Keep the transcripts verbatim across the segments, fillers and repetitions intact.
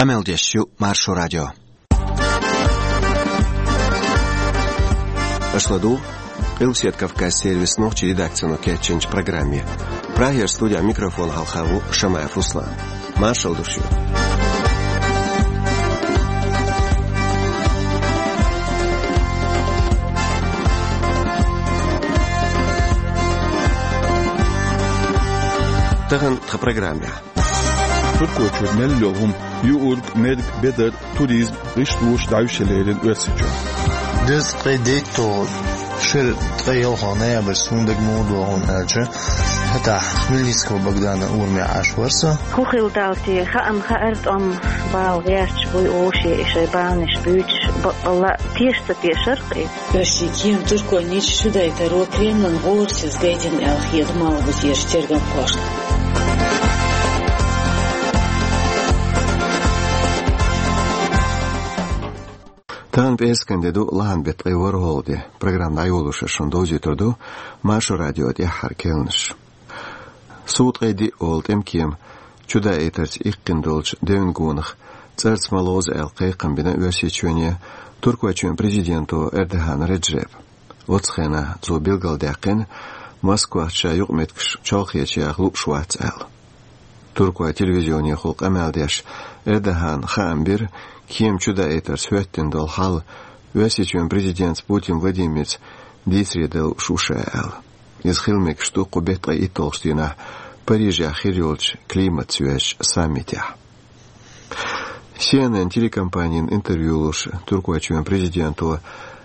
Къамел деш ю Маршо радио. Аша ладугӀу Къилбаседа Кавказан сервисан нохчийн редакцино кечйинчу программе. Прагера студехь микрофон хьалха ву Шамаев Руслан. Маршалла ду шуьга. Тахана тхан программехь. Туркойчуьра мел йолу хӀума: юург, мерг, бедар, туризм, гӀишлош дӀаьвше лерина Оьрсийчоьнна. Дезткъе дейтталгӀа шеран ткъе ялхалгӀа ноябрьца хӀунда дага муха догӀу аьлча, хӀетахь Хмельницкого Богдана урамехь Ӏаш вара со. ХӀун хилла дала те, хаам хаьара, тӀом бала гӀерташ буй уьш, и шайн баланаш буьйцуш, баккъалла а теша ца тешара кхин. Оьрсийн кема Туркойн нийсса чудайтаро Кремлан гӀорасиз гайтина аьлла хета Малхбузерчу тергамхошна. Тахана пӀераскан де ду, лахьан беттан ткъе ворхӀалгӀа де. Программа дӀайолош шуна довзуьйтур ду Маршо радион тӀаьххьара керланаш. Сув ткъе диъ олу тӀеман кема чудаийтарца иккхина долчу девнан гонах цӀарца ма лозу аьлла кхайкхам бина Оьрсийчоьне Туркойчоьнан президенто Эрдоган Реджепа. Оцу хенахь цо билгалдаьккхина, Москвахь ша юкъаметтигаш чолхечу яха лууш вац аьлла. Туркойн телевизионехула къамел деш, Эрдогана хаам бира, кема чудаийтарца хӀоьттина долу хьал Оьрсийчоьнан президентца Путин Владимирца дийцаре дан лууш ву ша аьлла. Иза хила мегаш ду кху беттан ткъе итталгӀачу дийнахь Парижехь хир йолчу климатца йоьзначу саммитехь. Си Эн Эн телекомпанина интервью луш, Туркойчоьнан президенто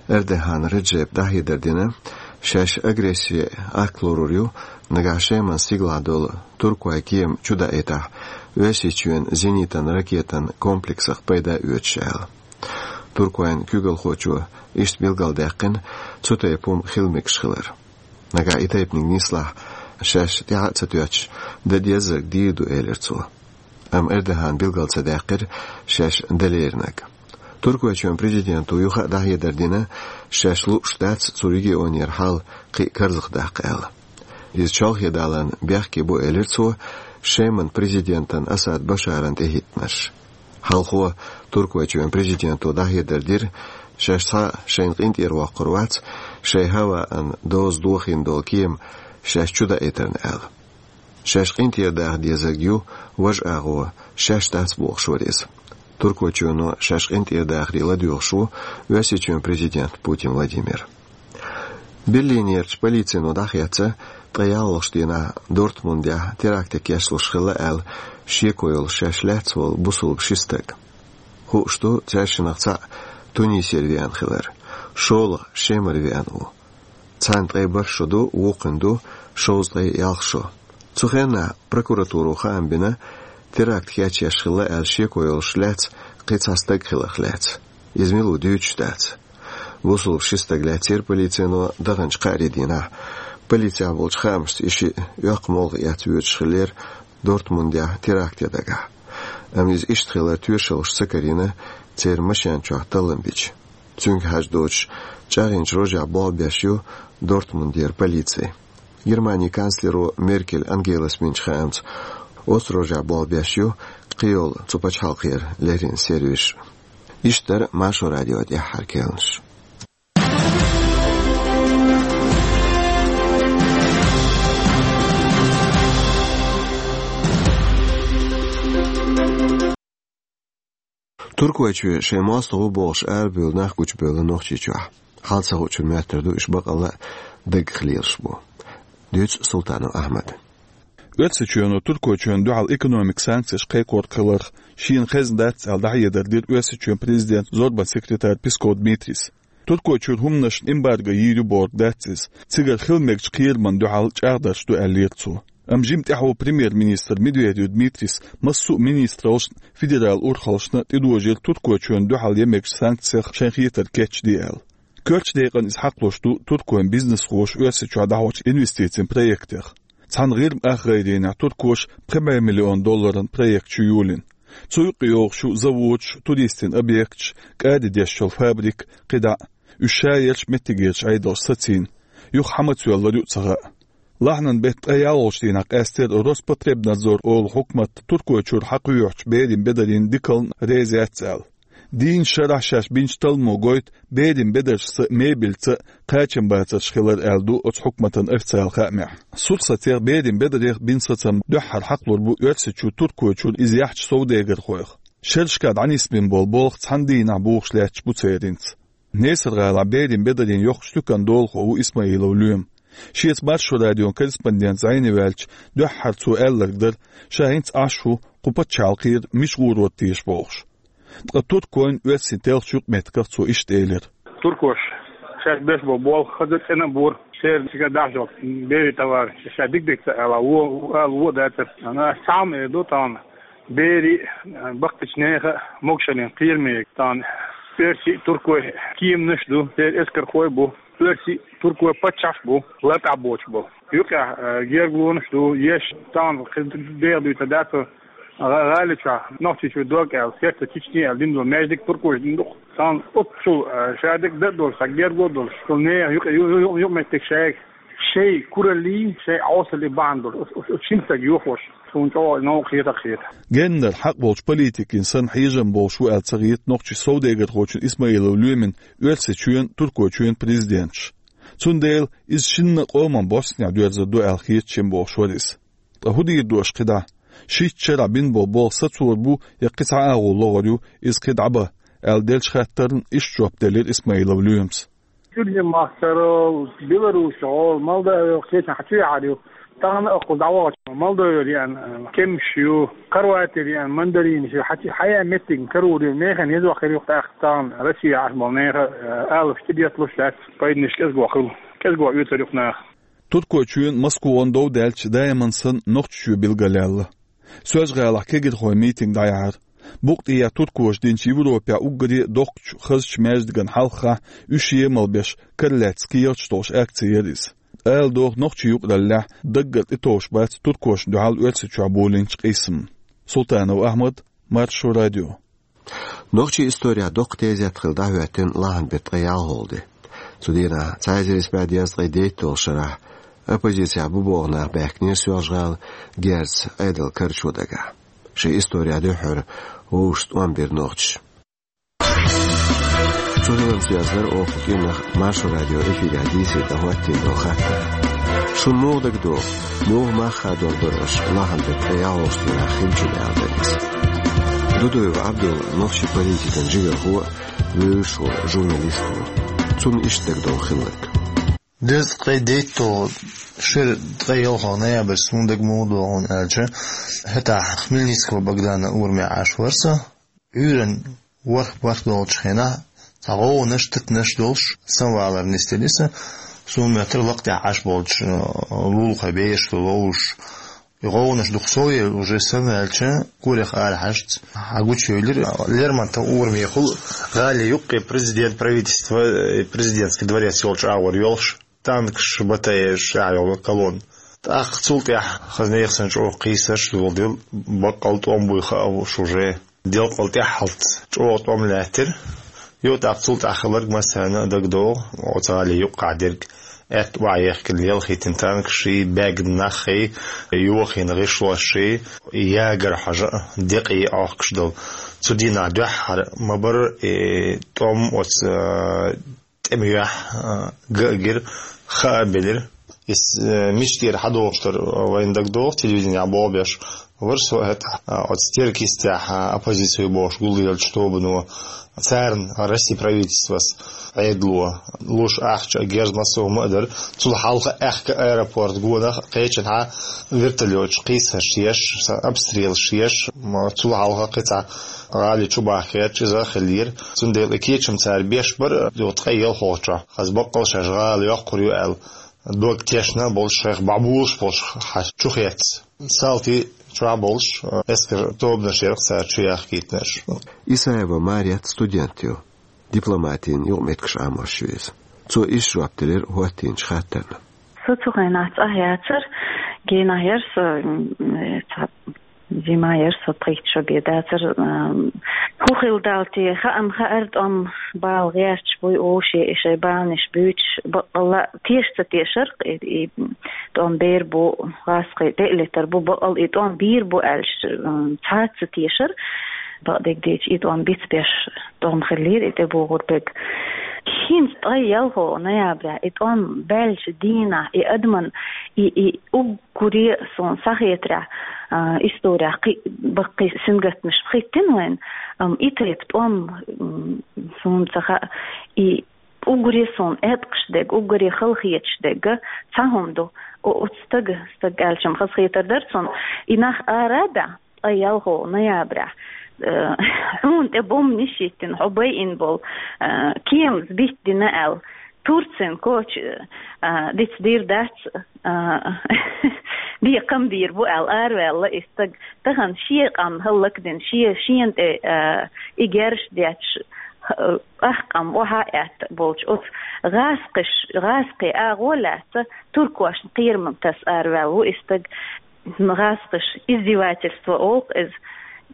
Эрдоган Реджепа дӀахьедар дина, шаьш агрессин акт лорур ю, нагахь Шеман стигалахь долу туркойн кема чудаийтахь, Оьрсийчоьнан зенитан ракетан комплексах пайда оьцуш аьлла. Туркойн куьйгалхочо иштта билгалдаьккхина цу тайпа хӀума хила мегаш хилар. Нагахь и тайпаниг нислахь, шаьш тӀаьхьа а ца тоьттуш, дан дезарг дийр ду, элира цо. Амма Эрдогана билгал ца даьккхира шаьш дан леринарг. Туркойчоьнан президенто юха а дӀахьедар дина, шаьш лууш дац цу регионера хьал кхин а карзахдаккха аьлла. Иза чолхе даларна бехке бу, элира цо, Шеман президентан Асад Башаран тӀехӀиттинарш. Хьалхо Туркойчоьнан президенто дӀахьедар дира, шаьш цхьа а шайна къинтӀера воккхур вац, шайн хӀаваан доза дохийна долу кема шаьш чудаийтарна аьлла. Шаьш къинтӀера даха дезарг ю важа агӀо, шаьш дац бохуш вара иза. Туркойчоьно шаьш къинтӀера дахаре ладоьгӀуш ву Оьрсийчоьнан президент Путин Владимир. Берлинерчу полицино дӀахецна ткъе ялхалгӀачу дийнахь Дортмундехь теракте кечлуш хилла аьлла шеко йолуш шаьш лаьцна волу бусулба ши стаг. Хууш ду, цаьршиннах цхьаъ Тунисера веана хилар, шолгӀа Шемара веана ву. Царна ткъе бархӀ шо ду, вукхунна ду шовзткъе ялх шо. Цу хенахь прокуратуро хаам бина, теракт кечъеш хилла аьлла шеко йолуш лаьцна кхин цхьа стаг хиларх лаьцна. Иза мила ву дуьйцуш дац. Бусулба ши стаг лаьцнера полицино даханчу кхаарин дийнахь. Полицехь болчу хаамашца, и шиъ оьккху молха эцна воьдуш хиллера Дортмундехь теракте дагахь. Амма иза иштта хилар тоьшаллаш ца карийна, церан машен чохь таллам бича. Цуьнга хьажа доцуш, чӀагӀйинчу рожехь болх беш ю Дортмундера полици. Германин канцлеро Меркель Ангелас бинчу хаамца, оцу рожехь болх беш ю кхийолу цу пачхьалкхера леррина сервисаш. Иштта дара Маршо радион тӀаьххьара керланаш. Туркойчоь шайн мостагӀа ву бохуш арабевлла нах гучубевлла Нохчийчохь. Хьал ца хуучун моьттур ду, уьш бакъалла а даггах лелаш бу. Дуьйцу Султанов Ахьмада. Оьрсийчоьно Туркойчоьнна дуьхьал экономикан санкцеш кхайкхорах хиларх шена хезна дац аьлла дӀахьедар дира Оьрсийчоьнан президентан зорбанан секретара Песков Дмитрийс. Туркойчуьра хӀуманашна эмбарго йийр ю бохург дац иза, цигара хила мегачу кхерамна дуьхьал чӀагӀдарш ду, аьллера цо. Амма жима тӀаьхьо премьер-министр Медведев Дмитрийс массо а министраллашна, федералан урхаллашна тӀедожийра Туркойчоьнна дуьхьал ян мегачу санкцех шайн хетарг кечде аьлла. Коьртачу декъана иза хьакхалуш ду туркойн бизнесхоша Оьрсийчохь дӀахьочу инвестицийн проектех. Цхьана ГӀирма ах гӀайренехь туркоша пхи бӀе миллион долларан проект ю йолийна. Цу юккъе йогӀуш ю заводаш, туристийн объекташ, кӀади деш йолу фабрика, кхидӀа а. Уьш шаерчу, меттигерчу Ӏедалша сацийна. Юха хьан мацвеллар ю а ца хаьа. Лахьанан беттан ткъе ялхолгӀачу дийнахь къаьстира Роспотребнадзор олу хьукмат Туркойчуьра хьакхоьхьучу берийн бедарийн дикална реза яц аьлла. Дийнна шарахь шаьш бинчу талламо гойту берийн бедаршца а, мебельца а кхачамбацарш хилар аьлла ду оцу хьукматан официалан хаамехь. Сурсатех, берийн бедарех бина сацам дуьххьара хьакхалур бу Оьрсийчу Туркойчуьра иза яхьчу совдегархойх. Шерашкахь дӀанисбина болу болх цхьана дийнахь бухуш лаьтташ бу церан. Несар-гӀалахь берийн бедарийн йоккхачу туьканан долахо ву Исмаилов Лоьма. Шеца Маршо радион корреспондент зӀене ваьлча, дуьххьара цо аьлларг дара, ша хӀинца Ӏаш ву, кху пачхьалкхера мича гӀур ван теша бохуш. Ткъа туркойн, оьрсийн телхачу юкъаметтигах цо иштта элира: Туркоша шаьш беш болу болх хаза цӀена а бора, церан цига дахьаш йолу берийн товар ша дика-дика ца ала, вон ала вон а дацара. Ана ас цхьа а ма эр ду тахана. Берийн а, баккхийчу нехан а могушаллин кхераме тахана оьрсийн а, туркойн а кеманаш а ду, церан эскархой а бу, оьрсийн а, туркойн а паччахьаш а бу, лартӀахь боцуш болу. Юкъахь, а, гергалонаш а ду, еш тахана кхин деха дуьйцур дац, гӀа-, гӀали чохь, Нохчийчуьра дог аьлла, Сердце Чечни аьлла дина долу маьждиг туркоша дина ду-кх. Тахана оццул, а, шадерг дан а долуш, цхьа гергало а долуш, цу нехан юкъа-, ю-, ю-, ю-, юкъаметтиг шайга шайн кураллий, шайн Ӏесаллий бахьана долуш, оцу, оцу, оцу шина стага йохош, суна чӀогӀа новкъа хетар а хета. Геннара хьакъ болчу политикийн санна хьежам болуш ву аьлла ца хета нохчийн совдегархочун Исмаилов Лоьмин Оьрсийчоьнан, Туркойчоьнан президенташ. Цундела иза шинна а къоман бӀостанехь доьрзур ду аьлла хета шен бохуш вара иза. Ткъа хӀун дийр ду аша кхидӀа? Шийтта шарахь бина болу болх сацор бу я кхин цхьа агӀо лохур ю, иза кхин дӀабан, аьлла деллачу хаттарна иштта жоп делира Исмаилов Лоьмас. Гуьржийн махкара, Беларусьгара, Молдовера, кхечахьа чу яхьар ю. Тахана а кхуза дӀавахча, Молдовера еана кеманаш ю, Хорватера еана мандаринаш ю, хьан чу хьаян меттигна карор ю, нехан еза вахар ю тӀаккха тахана Россия Ӏаш болу нехан, а, алапаш тӀедетталуш дац, пайданаш кӀезиг вахар ю, кӀезиг вахар оьцур ю-кх наха. Туркойчоьнан, Москван дов даьлча, даиман санна Нохчийчоь билгалъяьлла. Соьлжа-ГӀалахь кегирхойн митинг дӀаяьхьира. Букъ тӀехьа туркоша динчу Европехь уггаре доккхачу хазачу маьждиган хьалхахь уьш емал беш, кара лаьцна кехаташ долуш акци яра иза. Ала догӀу, нохчийн юкъараллехь даггара тӀетовш бац туркошна дуьхьал Оьрсийчохь болийначу къийсамна. Султанов Ахьмад, Маршо радио. Нохчийн исторехь доккха тезет хилла дӀахӀоьттина лахьанан беттан ткъе ялхолгӀа де. Цу дийнахь, цхьа эзар исс бӀе дезткъе дейтталгӀачу шарахь, оппозицехь бу боху нах баьхкинера Соьлжа-ГӀала герзаца Ӏедалан карачо дагахь. Шайн исторехь дуьххьара вовшашца тӀом бира нохчаша. Цу хиларца йоьзна дара оха кху кӀиранах Маршо радион эфирехь дийцаре дӀахӀоттийна долу хаттар. Шуна муха дагадогӀу, муха мах хадор бара аша лахьанан беттан ткъе ялхолгӀачу дийнахь хиллачун аьлла дара иза? Дудуев Ӏабдулла нохчийн политикан жигархо а, вевзаш волу журналист а ву. Цунна иштта дагадогӀу хилларг. Дезткъе дейтталгӀа шеран ткъе ялхолгӀа ноябрь суна дага муха догӀу аьлча, хӀетахь Хмельницкого Богдана ураме Ӏаш вара со. Ӏуьйранна ворхӀ-бархӀ долчу хенахь цхьа гӀовгӀанаш, титанаш долуш, самвалар нисделира сан. Суна моьттура лакха тӀехь Ӏаш болчу, э, лулахойн бераш ду ловзуш. И гӀовгӀанаш дукха совъелла уже сан ваьлча, корах арахьаьжча, хьагучуевлира Лермонтовн урамехула, гӀали юккъе президент, правительство, э, президентский дворец йолчу агӀор йолуш. Танкаш, батареяш, ша йолу колонна. ТӀаккха цул тӀаьхьа хаза нехан санна чӀогӀа кхийсарш а доладелла, баккъал тӀом буй хаьа уьш уже. Делкъал тӀаьххьалц чӀогӀа тӀом лаьттира. Юха тӀаккха цул тӀаьхьа хилларг массарна а дагадогӀу, оцу гӀали юккъехь дерг. Аьтта охьаехкина, лелхийтина танкашший, баьгна наххий, йохийна гӀишлошший, ягар хьожа а, декъий Ӏохкуш долу. Цу дийнахь дуьххьара ма-барра и тӀом оцу, а, тӀеман юьхь, а, ган а гира, хаа а белира. Иза, э, мича тӀера хьадогӀуш дара, вайна дагадогӀу, телевиденехь болх беш вара со хӀетахь, а, оцу стиркистехь, а, оппозици бохуш гулъеллачу тобано, царна Россин правительствос Ӏедало луш ахча а, герз массо а хӀума а дара. Цул хьалха аьхка аэропорт гонах кхечанхьа вертолеташ кхийсарш еш, са-, обстрелаш еш, м-, цул хьалха кхин цхьа гӀали чу бахкаьрча иза а хиллера. Цундела и кечам цара беш бара, юха ткъе ялхолгӀачохь, хаза баккъал шаьш гӀала йоккхур ю аьлла, дог тешна болуш, шайх бӀобулуш болуш хьан чу хецна. Салтий чохь болуш, эскаран тобанаш яра-кх цара чу яхкийтинарш. Исаева Марет студент ю, дипломатин юкъаметтигаш Ӏамош ю иза. Цо иштта жоп делира хӀоттийначу хаттарна. Со цу хенахь цӀахь яцара, генахь яра со, м, цхьа Зима яр со пхийтта шо бен дацар. ХӀу хилла далла те, хаам хаьар, тӀом бала гӀерташ буй уше, и шай баланаш буьйцуш, баккъалла теша ца тешар, и, и тӀом бер бу, гӀазкхий тӀе а летар бу, баккъалла и тӀом бийр бу аьлча, м, цхьацца тешар, бакъдерг дийцача, и тӀом бицбеш тӀом хиллера и тӀебогӀур берг. ХӀинца ткъе ялхо ноября и тӀом баьлча дийнахь, и адаман, и, и уг- гуре суна схьахетарехь, а, исторехь кхин а баккхий сингаттамаш хӀиттина вайна, амма и тайпа тӀом, м, суна ца хаьа, и уггаре суна эткъаш дерг, уггаре халахеташ дерг цхьа хӀума ду. О, оцу стага, стаг аьлча-м хазахетар дара цунна, и нах ара а баьхна, ткъе ялхо ноября, э, хьуна тӀе бомбанаш йиттина, хьо байина болу, э, кеманца битта дина аьлла, Турцин коча, а, дицдийр дац, а, бекхам бийр бу аьлла, араваьлла и стаг. Тахана шен къам хӀаллакдина, шен, шена тӀе, а, и герзаш детташ, а, ах къам охьа а аьтта болчу оцу гӀазкхиш-, гӀазкхи агӀо лаьцна туркошна кхерам таса араваьлла ву и стаг. ГӀазкхаша издевательство олу иза,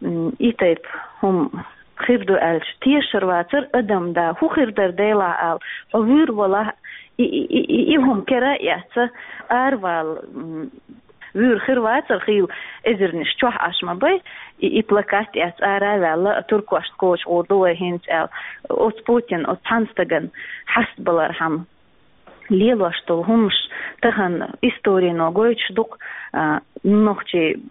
м, и тайпа хӀума хир ду аьлча, тешар вацара адам да, хӀун хир дара делахь ала, хьо вуьйр валахь, и, и, и, и, и хӀума кара а эцна, аравала, м, вуьйр хир вацара, хийла эзарнаш чохь Ӏаш ма бай, и, и плакат эцна ара а ваьлла, туркошна коча гӀур ду вай хӀинца аьлла, оцу Путин, оцу цхьана стагана хьастабалархьама. Лелош долу хӀуманаш тахана историно гойтуш ду-кх, а, нохчий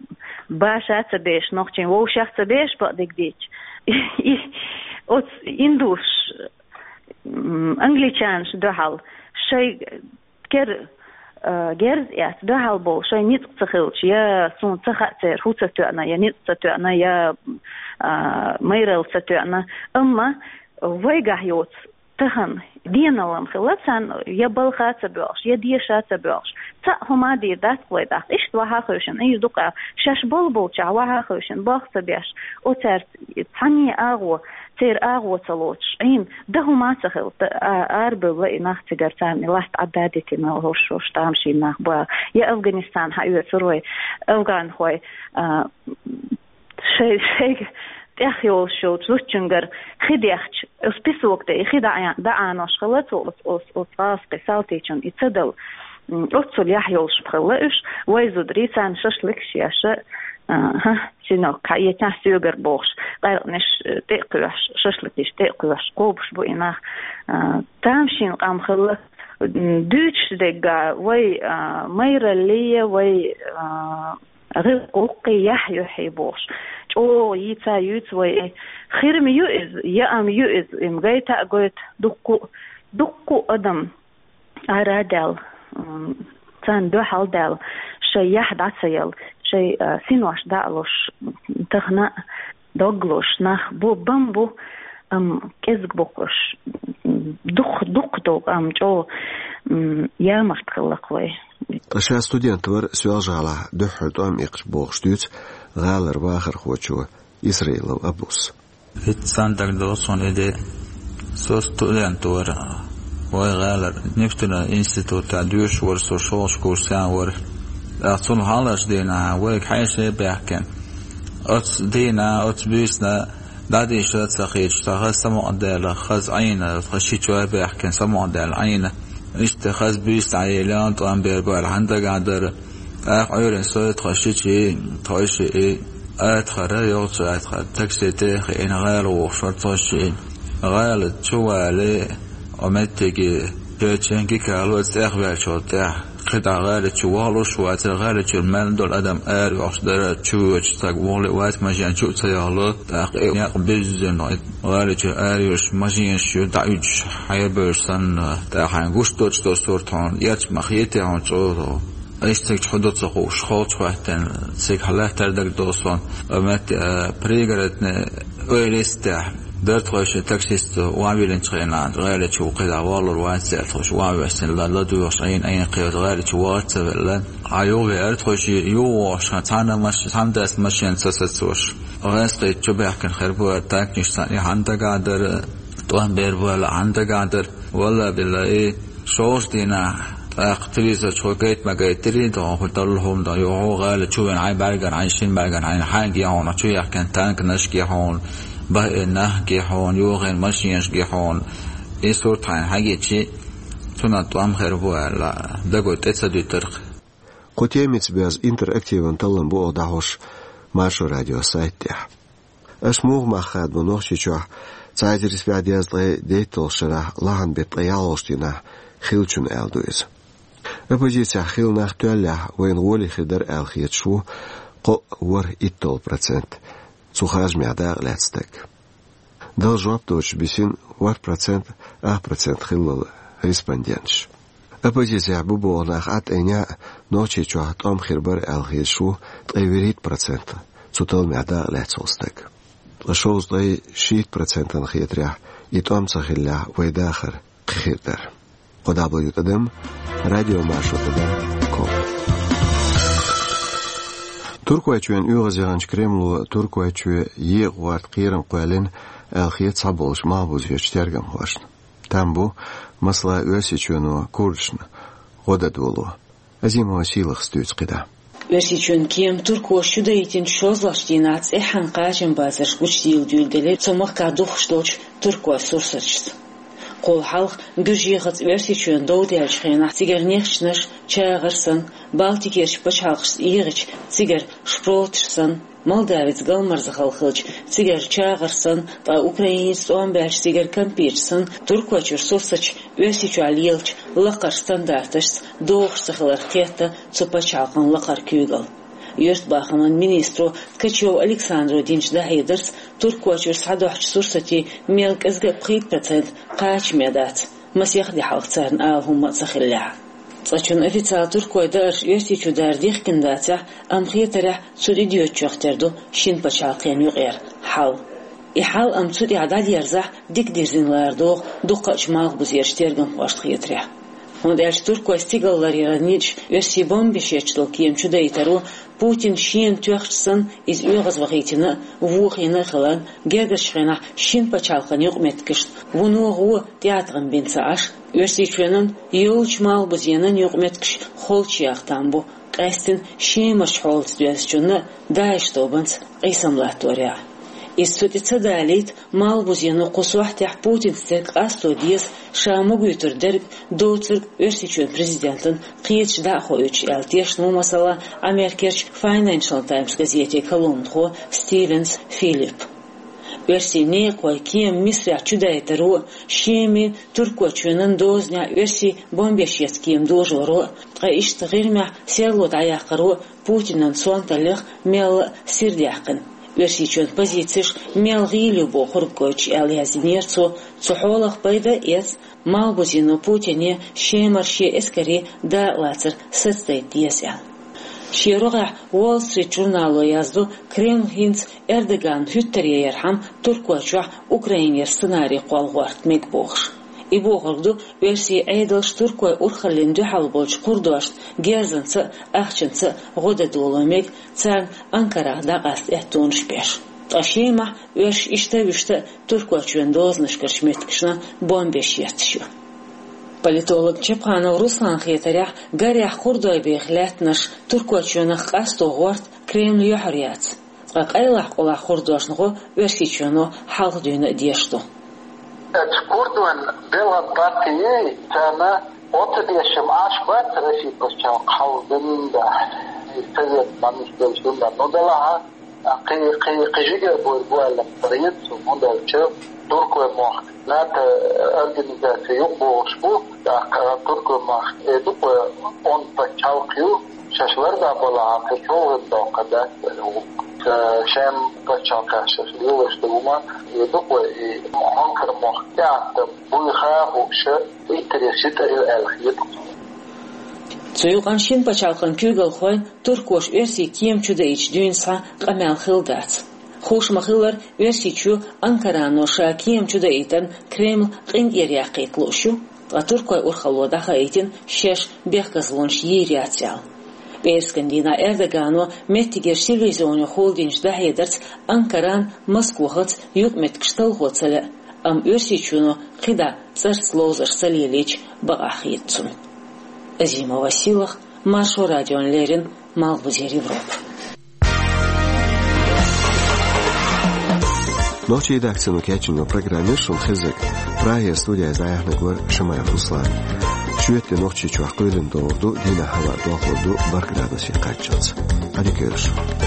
баша а ца беш, нохчий вовшах а ца беш, бакъдерг дийцча. И оцу индусаш, м, англичанаш дуьхьал шайн кер-, а, герз эцна дуьхьал болу шайн ницкъ ца хилча, я суна ца хаьа церан хӀу ца тоьъна, я ницкъ ца тоьъна, я, а, майралла ца тоьъна. Амма вайгахь йоцу тахана деналла хилла царна, я балха ца боьлхуш, я деша ца боьлхуш. Цхьаъ хӀума дийр дац вай тӀаккха. Иштта ваха а хевшина, ира ду-кх, шаьш болу болчохь ваха а хевшина, болх ца беш, оцаьрца цхьанне агӀо, церан агӀо ца лоцуш, Ӏийна, дан хӀума ца хилла, а-, арабевлла и нах цигара, царна и латта Ӏадда а дитина, хӀорш-хӀорш тамашийна нах бу. Я Афганистан хьаоьцур вай, афганхой, а, шай-, шайга тӀехь йолуш йолчу зудчуьнгара хи дехча, оцу песок тӀе и хи даӀа-, даӀанош хилла цо оцу, оцу, оцу гӀазкхийн салтичунна и ца дала. М, оццул яхь йолуш хилла уьш, вай зударий, царна шашлыкаш еш, а, хӀа, синок, хьаэцахь соьгара бохуш, къаьркъанаш, э, тӀе а кхоьхьуш, шашлыкаш тӀе а кхоьхьуш, кхобуш бу и нах. А, тамашийна къам хилла, м, дуьйцуш дерг а, вай, а, майралле, вай, а, гӀиллакх-гӀуллакхе яхь юьхье бохуш. ЧӀогӀа йийца а юьйцу вай, э, хир-м ю иза, яа-м ю иза, и-м гайта а гойту дуккха а, дуккха а адам ара а даьлла, м, царна дуьхьал а даьлла, шайн яхь дӀа ца яла, шайн, а, синош дӀа а луш, тахана а дог луш нах бу, бан бу, амма кӀезиг бу-кх уьш. Дукха, дукха долу, амма чӀогӀа, м, ямарта хилла-кх вай. Ткъа ша студент вара Соьлжа-ГӀалахь, дуьххьара тӀом иккхаш, бохуш дуьйцу гӀалара вахархочо Исраилов Абус. ХӀинца цхьаьна дагадогӀу суна и де. Со студент вара, вай гӀалара нефтяной институтехь доьшуш вара со, шолгӀачу курсе вара. ТӀаккха цунах хьалхарчу дийнахь вайга хьеший баьхкина. Оцу дийнахь, оцу буьйсанна дӀадийша а ца хеташ, тхан хаза самукъадаьлла, хаза Ӏийна, тхан шичой баьхкина, самукъадаьлла Ӏийна. Иштта хаза буьйса дӀаелла, тӀом бер бара, хьан дагахь дара. ТӀаккха Ӏуьйранна со, тхан шичи, тхойши и, атахара, йогӀучу атахара, такси тӀе а хиъна, гӀала вогӀуш вара тхойши. ГӀала чу вале, о меттиге, чечен гикало, цӀехваьллачу тӀехь. КхидӀа гӀала чу вахалуш вацара, гӀала чуьра мел долу адам ара йогӀуш дара, чу воьдуш стаг вахале вац, машен чу а ца яхало, тӀаккха и некъ буьззина, гӀала чуьра ара йолуш машенаш ю дӀауьдуш, хьайбевлла санна, тӀаккха хьайна гуш доцуш долу сурт хьуна, эрча ма хетий хьуна чӀогӀа. Иштта цига чу хӀун ду ца хууш, холчу хӀоьттина, цига хьалаьттара дагадогӀу суна, о метте, а, Пригородный ойла йистехь, дара тхойши таксисто, охьавиллинчу хенахь, гӀала чу кхидӀа валур вац аьлла, тхойши охьавоьссина, ла-, ладоьгӀуш, Ӏийна, Ӏийна кхета, гӀала чу вахар ца велла. Хьан юхавеара тхойши, юхавогӀуш, цхьана маш-, цхьана дас машен ца сацош. ГӀазкхий чу баьхкина хир бу аьлла, танкаш санна, и хьан дагахь дара, тӀом бер бу аьлла, хьан дагахь дара. Валла билла, и шолгӀачу дийнахь ТӀаккха телевизор чу гайта ма гайтарий, догӀун хӀу далла хӀума догӀун, юхьу гӀала чу вен хьайн бӀаргара, хьайн шин бӀаргара, хьайн хьаьнга яхьуна, чу яхкан танк нашка яхьуна, бахӀе нах яхьуна, юхьен машинашка яхьуна. И сурт хьайн хьагичи, цунан тӀом хир бу аьлла, дагой тӀе ца дуьтарх. Кху темица бяза интерактиван таллам бу оха дӀахьош Маршо радио сайт тӀехь. Аша муха мах хадабо Нохчийчохь цхьа эзар исбаьхьа дезткъе дейтталгӀачу шарахь лахьан беттан ткъе ялхолгӀачу дийнахь хиллачунна аьлла ду иза. Оппозицехь хилла нах тоьллехь вайна гӀоле хир дара аьлла хеташ ву кхоъ, ворхӀ, итталгӀа процент цу харжамехь дакъа лаьцна стаг. Дала жоп доцуш бисина ворхӀ процент, ах процент хиллал респонденташ. Оппозицехь бу боху нах Ӏад айнехь а, Нохчийчохь тӀом хир бара аьлла хеташ ву ткъе вуьрхӀитта процент цу талламехь дакъа лаьцна волу стаг. Ткъа шовзткъе шийтта процентана хетарехь, и тӀом ца хиллехь, вай дахар кхин хир дара. Кхо дабл ю тӀадам, радиомаршо тӀадам, ком. Туркойчоьнан оьгӀазъяханчу Кремло Туркойчоь екъа гӀорта кхерам кхоьллина аьлла хета цхьаболчу малхбузерчу тергамхошна. Там бу, масала, Оьрсийчоьно курдашна гӀо дан доло. Азимова Сийлахас дуьйцу кхидӀа. Оьрсийчоьнан кема туркоша чудаийтинчу шозлагӀчу дийнахь цӀеххьана кхачамбацарш гучудийла дуьйладелира цу махкахь духкуш долчу туркойн сурсаташца. Кхул хьалха Гуьржехаца Оьрсийчоьнан дов даьллачу хенахь цигара нехчанаш, чагӀар санна, Балтикерчу пачхьалкхашца эгӀича, цигара шпроташ санна, Молдавица галмарза хала хилча, цигара чагӀар санна, ткъа Украиница тӀом баьлча, цигара кампеташ санна, Туркойчуьра сурсаташ Оьрсийчохь лелачу лакхарчу стандарташца догӀуш ца хилар кхетта цу пачхьалкхан лакхара куьйгалла. Юьртабахаман министро Ткачев Александро динчу дӀахьедарца, Туркойчуьра схьадохьучу сурсатийн мел кӀезиг а пхийтта процент кхачаме дац, масех де хьалха царна ала хӀумма а ца хиллехь. Цкъачунна официалан туркойн даарш Оьрсийчу дара дихкина дацахь, амма хетарехь, цу тӀедоьдучех тера ду шина пачхьалкхана юкъара хьал. И хьал амма цу тӀехь дӀадерзахь, дика дирзина лара догӀу дуккхачу малхбузерчу тергамхошна хетарехь. ХӀунда аьлча туркойн стигалларъяран ницкъаша оьрсийн бомбанаш етташ долу кема чудаийтаро Путина шена тоьхча санна, иза оьгӀазвахийтина а, вохийна а хиларна, гергарчу хенахь шина пачхьалкхан юкъаметтигашна вуно гӀо, тӀеӀаткъам бина ца Ӏаш, Оьрсийчоьнан йолчу малхбузенан юкъаметтигаш холчу яха там бу, къаьсттина Шемарчу хьолаца доьзначунна а, ДАИШ тобанца къийсам латторехь. Иза цу тӀе ца далийта, малхбузено кху сохьтехь Путинца дерг къасто деза, ша магойтур дерг доцург Оьрсийчоьнан президентана кхеташ дӀа а хоуьйтуш аьлла тешна ву, масала, Америкерчу Financial Times газетан колумнахо Стивенс Филипп. Оьрсийн некъахойн кема Мисрахь чудайтаро, Шеман, Туркойчоьнан дозанехь оьрсийн бомбанаш етташ кема дожоро, ткъа иштта ГӀирмехь серло дӀаяккхаро Путинан сонталлех мелла а сирдаьккхина. Оьрсийчоьнан позицеш мел гӀийла ю бохург гойтуш аьлла яздинера цо, цу хьолах пайда а эцна, малхбузено Путине Шемара шен эскарийн дакъалацар сацадайта деза аьлла. Шен рогӀехь Wall Street журнало яздо, Кремль хӀинца Эрдоганна хӀуьттаръярхьама Туркойчохь Украинера сценарий кхолла гӀорта мега бохуш. И бохург ду, оьрсийн Ӏедалш туркойн урхаллина дуьхьал болчу кхурдошна герзанца а, ахчанца а гӀо дан доло мега, царна Анкарах дӀакъаста аьттонаш беш. Ткъа Шемахь оьрсаша иштта а вуьшта а Туркойчоьнан дозанашкарчу меттигашна бомбанаш етташ ю. Политолог Чапханов Русланна хетарехь, гарехь кхурдойн беха лаьттанаш Туркойчоьнах къасто гӀорта Кремлан юьхьар яц. Ткъа къайлахь-къулахь кхурдошна гӀо Оьрсийчоьно хьалха дуьйна а деш ду. Оцу курдойн белхан партий царна оцу дешам Ӏаш бац Россия пачхьалкх хьалха дуьйна а, и совет мамиш делча дуьйна а. Ну, делахь а, кхин, кхин, кхин жигара буйр бу аьлла ма дара иза цу, хӀунда аьлча туркойн мохк НАТО организаци юкъа богӀуш бу, тӀаккха туркойн мохк э ду-кх, онда пачхьалкх ю, шаьш лардан балахь а, кхин чӀогӀа доккха дац аьлла ву. Ша-, шен пачхьалкхехь шаьш лелош долу хӀума э ду-кх, и хьонкар мохк тӀеӀаткъам буйха а хууш, интерес йитар ю аьлла хета. Цу юкъанна шина пачхьалкхан куьйгалхойн туркоша оьрсийн кема чудаийтича дуьйна схьа къамел хилла дац. Хууш ма-хиллара, Оьрсийчоь Анкарано ша кема чудаийтарна Кремль къинтӀера яккхийта лууш ю, ткъа туркойн урхалло дӀахаийтина шаьш бехказлонаш йийр яц аьлла. ПӀераскан дийнахь Эрдогано меттигерчу телевизионехула динчу дӀахьедарца Анкаран Москвахаца юкъаметтигаш талхо ца лаьа, амма Оьрсийчоьно кхидӀа цӀарца ловзарш ца лелийча бакъахь хета цунна. Азимова Силах, Маршо радиона леррина, Малхбузера Европа. Нохчийн редакцино кечйина программа шуна хезар. Прагера студига дӀаяьхьнарг вара Шамаев Руслан. Шоьтан Нохчийчохь кхоьлина догӀур ду, дийнахь хӀаваъ дохлур ду бархӀ градусе кхаччалц. Ӏадика йойла шун.